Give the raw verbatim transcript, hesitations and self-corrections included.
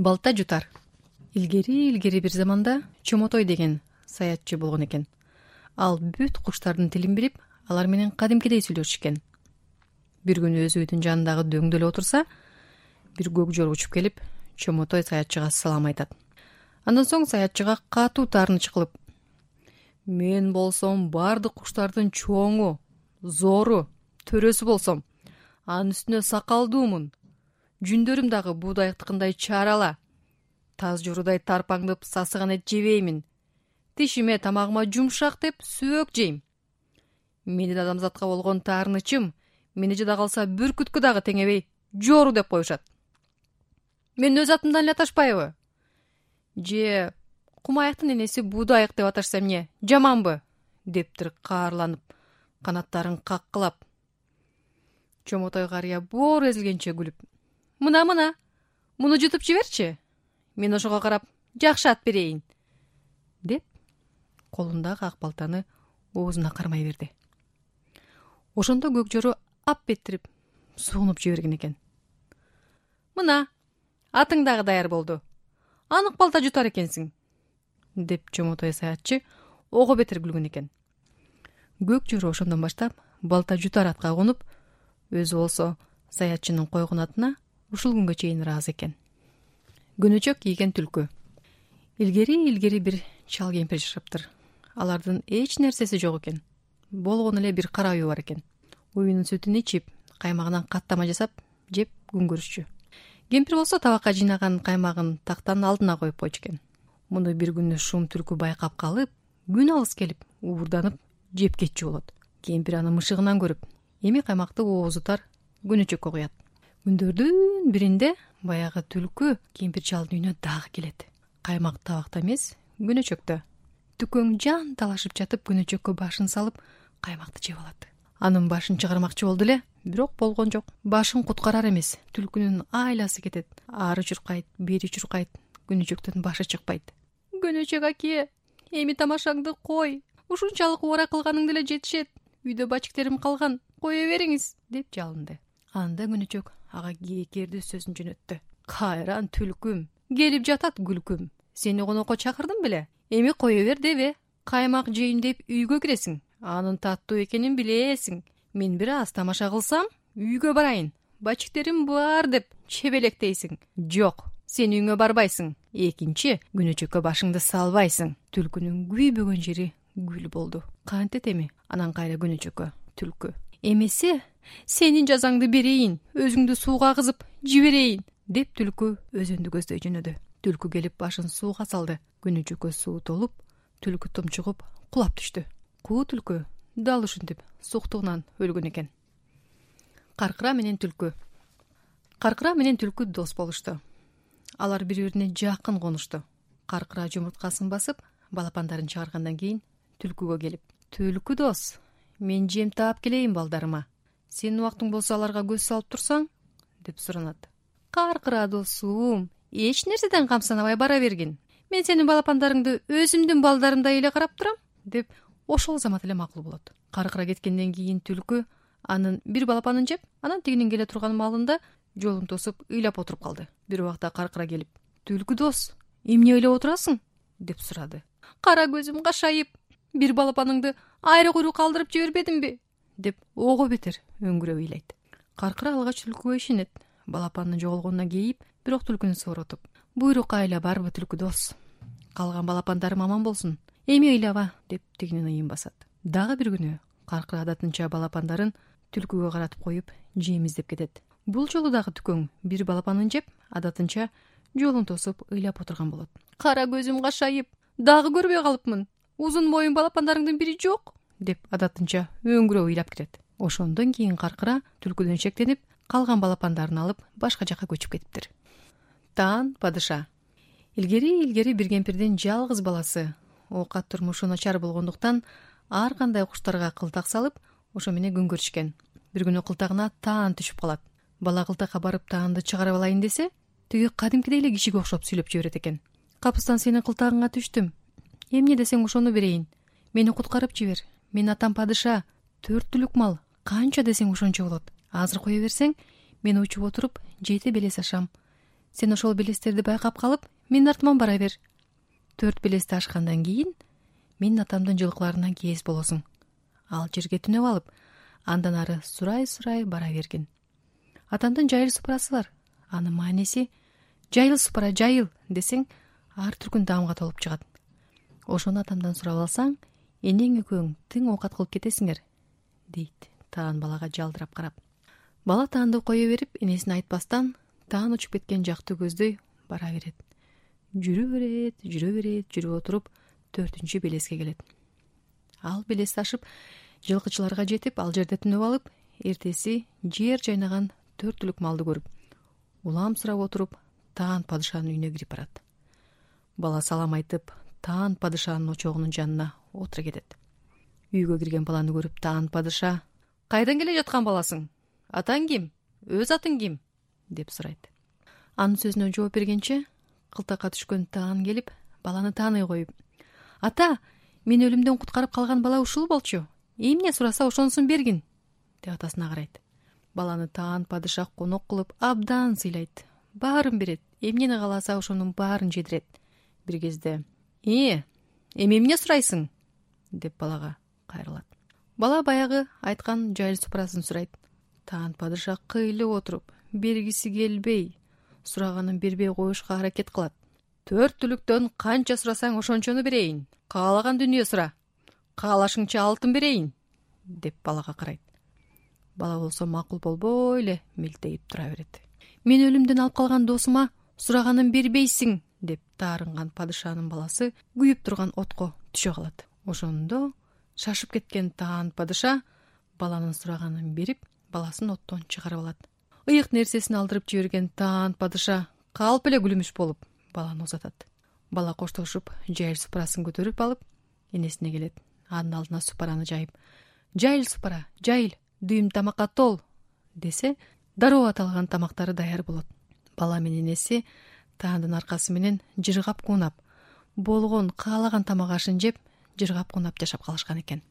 Балта жутар. Илгери илгери бир заманда Чомотой деген саятчы болгон экен. Ал бүт куштардын тилин билип, алар менен кадимкидей сүйлөшүшкөн. Бир күнү өз үйдүн жанындагы дөңдө эле отурса, бир көк жор учуп келип, Чомотой саятчыга салам айтат. Андан соң саятчыга катуу таарыныч кылып: "Мен болсом бардык куштардын чоңу, зору, төрөсү болсом, анын үстүнө сакалдуумун. Жүндөрүм дагы буудайыктыкындай чарала. Таз жорудай тарпаңдып сасыган эт жебеймин. Тишиме тамагыма жумшак деп сөөк жейм. Менин адамзатка болгон таарынычым мени жада калса бүркүткө дагы теңебей жору деп коюшат. Мен өз атымдан эле аташпайбы? Же кумаяктын энеси буудайык деп аташса эмне, жаманбы?" дептир каарланып, канаттарын каккылап. Чомотой карыя боору эзилгенче күлүп: "Мына мына, муну жутуп жиберчи. Мен ошого карап жакшы ат берейин", деп колундагы ак балтаны оозуна кармай берди. Ошондо көк жору ап еттирип суунуп жиберген экен. "Мына, атың дагы даяр болду. Анык балта жутар экенсиң", деп Чомотой саятчы ого бетер күлгөн экен. Көк жору ошондон баштап балта жутар атка конуп, өзү болсо саятчынын койгон атына ушул күнгө чейин ыраазы экен. Күнүчөк кийген түлкү. Илгери илгери бир чал кемпир жашаптыр. Алардын эч нерсеси жок экен. Болгону эле бир кара үй бар экен. Уюнун сүтүн ичип, каймагынан каттама жасап, жеп күн көрүшчү. Кемпир болсо табакка жыйнаган каймагын тактан алдына коюп койчу экен. Муну бир күнү шум түлкү байкап калып, күн алыс келип, уурданып жеп кетчү болот. Кемпир аны мышыгынан көрүп, эми каймакты оозутар күнүчөккө куят. Күндөрдүн биринде баягы түлкү кемпир чалдын үйүнө дагы келет. Каймак табакта эмес, күнүчөктө. Түкөң жан талашып жатып, күнүчөккө башын салып, каймакты жеп алат. Анын башын чыгармакчы болду эле, бирок болгон жок. Башын куткарар эмес, түлкүнүн айласы кетет. Ары чуркайт, бери чуркайт, күнүчөктөн башы чыкпайт. "Күнүчөк аке, эми тамашаңды кой. Ушунчалык убара кылганыңды эле жетишет. Үйдө бачиктерим калган, кое бериңиз", деп жалынды. Анда күнүчөк ага кээкерди сөзүн жөнөттү. "Кайран түлкүм, келип жатат күлкүм. Сени конокко чакырдым беле. Эми кое бер дебе. Каймак жейин деп үйгө киресиң. Анын таттуу экенин билесиң. Мен бир аз тамаша кылсам, үйгө барайын. Бачиктерим бар деп чебелектейсиң. Жок, сен үйүңө барбайсың. Экинчи, күнүчөккө башыңды салбайсың." Түлкүнүн күйбөгөн жери гүл болду. Кантет эми? Анан кайра күнүчөккө түлкү: "Эмесе, сенин жазаңды берейин, өзүңдү сууга кызып жиберейин", деп түлкү өзөндү көздөй жөнөдү. Түлкү келип башын сууга салды. Күнүчөккө суу толуп, түлкү тумчугуп кулап түштү. Куу түлкү дал ушинтип суктугунан өлгөн экен. Каркыра менен түлкү. Каркыра менен түлкү дос болушту. Алар бири-бирине жакын конушту. Каркыра жумурткасын басып, балапандарын чыгаргандан кийин түлкүгө келип: "Түлкү дос, мен жем таап келейин балдарыма. Сенин убактың болсо аларга көз салып турсаң", деп суранат. "Каркыра досум, эч нерседен камсанабай бара бергин. Мен сенин балапандарыңды өзүмдүн балдарымдай эле карап турам", деп ошол замат эле макул болот. Каркыра кеткенден кийин түлкү анын бир балапанын жеп, анан тигинин келе турган маалында жолун тосуп ыйлап отуруп калды. Бир убакта каркыра келип: "Түлкү дос, эмне ыйлап отурасың?" деп сурады. "Кара көзүм кашайып, бир балапаныңды айры куйрук калтырып жибербедимби?" деп ого бетер өңгүрөп ыйлайт. Каркыра алгач түлкүгө ишенет. Балапанын жоголгонуна кейип, бирок түлкүнү сооротуп: "Буйрук айла барбы түлкү дос? Калган балапандарым аман болсун. Эми ыйлаба", деп тигинин ыйын басат. Дагы бир күнү каркыра адатынча балапандарын түлкүгө каратып коюп, жем издеп кетет. Бул жолу дагы түкөң бир балапанын жеп, адатынча жолун тосуп ыйлап отурган болот. "Кара көзүм кашайып, дагы көрбөй калыпмын. Узун моюн балапандарыңдын бири жок", деп адатынча өңгүрөп ыйлап кетет. Ошондон кийин каркыра түлкүдөн шектенип, калган балапандарын алып башка жакка көчүп кетиптир. Таан падыша. Илгери илгери бир кемпирдин жалгыз баласы оокат турмушу начар болгондуктан ар кандай куштарга кылтак салып, ошо менен күн көрүшкөн. Бир күнү кылтагына таан түшүп калат. Бала кылтакка барып таанды чыгарып алайын десе, тиги кадимкидей эле кишиге окшоп сүйлөп жиберет экен. "Капыстан сенин кылтагыңа түштүм. Эмне десең ошону берейин. Мени куткарып жибер. Мен атам падыша, төрт түлүк мал. Канча десең ошончо болот. Азыр кое берсең, мен учуп отуруп жети белес ашам. Сен ошол белестерди байкап калып, менин артыман бара бер. Төрт белести ашкандан кийин менин атамдын жылкыларынан кез болосуң. Ал жерге түнөп алып, андан ары сурай-сурай бара бергин. Атамдын жайыл супарасы бар. Анын мааниси жайыл супара, жайыл десең, ар түркүн даамга толуп чыгат. Ошону атамдан сурап алсаң, энең экөөң тың оокат кылып кетесиңер, дейт таан балага жалдырап карап. Бала таанды кое берип, энесине айтпастан таан учуп кеткен жакты көздөй бара берет. Жүрө берет, жүрө берет, жүрүп отуруп төртүнчү белеске келет. Ал белести ашып, жылкычыларга жетип, ал жерде түнөп алып, эртеси жер жайнаган төрт түлүк малды көрүп, улам сурап отуруп, таан падышанын үйүнө кирип барат. Бала салам айтып, таан падышанын очогунун жанына отура кетет. Үйгө кирген баланы көрүп, таан падыша: "Кайдан келе жаткан баласың? Атаң ким? Өз атың ким?" деп сурайт. Анын сөзүнө жооп бергенче, кылтакка түшкөн таан келип, баланы тааный коюп: "Ата, мени өлүмдөн куткарып калган бала ушул болчу. Эмне сураса ошонусун бергин", деп атасына карайт. Баланы таан падыша конок кылып абдан сыйлайт. Баарын берет, эмнени кааласа ошонун баарын жедирет. Бир кезде: "Э, эми эмне сурайсың?" деп балага кайрылат. Бала баягы айткан жайыл супарасын сурайт. Таан падыша кыйлып отуруп, бергиси келбей, сураганын бербей коюшка аракет кылат. "Төрт түлүктөн канча сурасаң ошончону берейин. Каалаган дүнүө сура. Каалашыңча алтын берейин", деп балага карайт. Бала болсо макул болбой эле мелтейип тура берет. "Мени өлүмдөн алып калган досума сураганын бербейсиң", деп таарынган падышанын баласы күйүп турган отко түшө калат. Ошондо шашып кеткен таан падыша баланын сураганын берип, баласын оттон чыгарып алат. Ыйык нерсесин алдырып жиберген таан падыша калп эле күлүмүш болуп баланы узатат. Бала коштошуп, жайыл супарасын көтөрүп алып, энесине келет. Анын алдына супараны жайып: "Жайыл супара, жайыл, дүйүм тамакка тол", десе, дароо аталган тамактары даяр болот. Бала менен энеси таандын аркасы менен жыргап куунап, болгон каалаган тамак ашын жеп, жыргап куунап жашап калышкан экен.